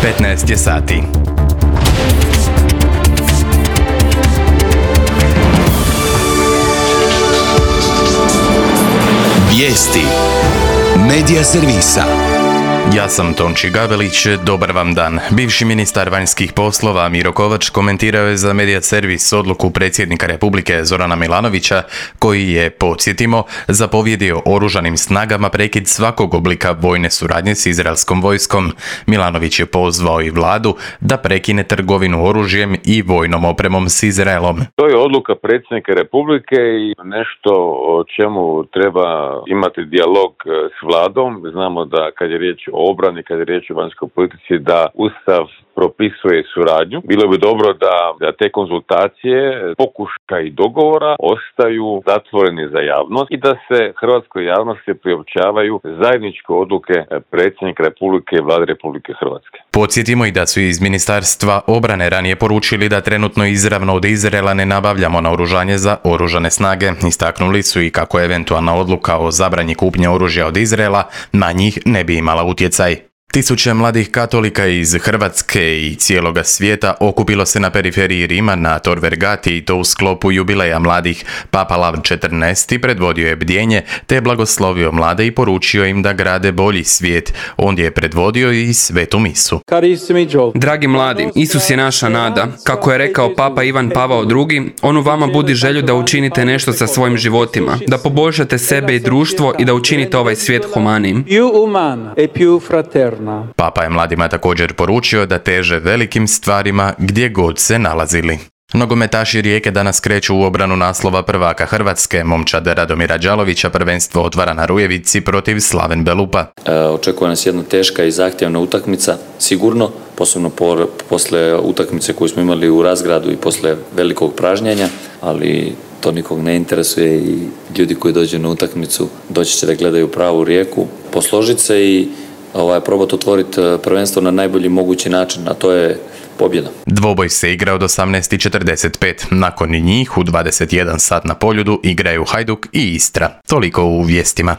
15 je sati. Vijesti Medija servisa. Ja sam Tonči Gabelić, dobar vam dan. Bivši ministar vanjskih poslova Miro Kovač komentirao je za Medija servis odluku predsjednika Republike Zorana Milanovića koji je, podsjetimo, zapovjedio oružanim snagama prekid svakog oblika vojne suradnje s izraelskom vojskom. Milanović je pozvao i vladu da prekine trgovinu oružjem i vojnom opremom s Izraelom. To je odluka predsjednika Republike i nešto o čemu treba imati dijalog s vladom. Znamo da kad je riječ o obrani, kad je riječ o vanjskoj politici, da Ustav propisuje suradnju. Bilo bi dobro da te konzultacije, pokušaja i dogovora ostaju zatvoreni za javnost i da se hrvatskoj javnosti priopćavaju zajedničke odluke predsjednika Republike i Vlade Republike Hrvatske. Podsjetimo i da su iz Ministarstva obrane ranije poručili da trenutno izravno od Izraela ne nabavljamo naoružanje za oružane snage. Istaknuli su i kako eventualna odluka o zabrani kupnje oružja od Izraela na njih ne bi imala utjecaj. Tisuće mladih katolika iz Hrvatske i cijeloga svijeta okupilo se na periferiji Rima na Tor Vergati i to u sklopu jubileja mladih. Papa Lav XIV predvodio je bdjenje te blagoslovio mlade i poručio im da grade bolji svijet. On je predvodio i svetu misu. Dragi mladi, Isus je naša nada. Kako je rekao Papa Ivan Pavao II, on u vama budi želju da učinite nešto sa svojim životima, da poboljšate sebe i društvo i da učinite ovaj svijet humanijim. Papa je mladima također poručio da teže velikim stvarima gdje god se nalazili. Nogometaši Rijeke danas kreću u obranu naslova prvaka Hrvatske. Momčad Radomira Đalovića prvenstvo otvara na Rujevici protiv Slaven Belupa. Očekuje nas jedna teška i zahtjevna utakmica, sigurno, posebno posle utakmice koju smo imali u Razgradu i posle velikog pražnjenja, ali to nikog ne interesuje i ljudi koji dođu na utakmicu doći će da gledaju pravu Rijeku, posložiti se i probati otvoriti prvenstvo na najbolji mogući način, a to je pobjeda. Dvoboj se igra od 18:45. Nakon njih u 21 sat na Poljudu igraju Hajduk i Istra. Toliko u vijestima.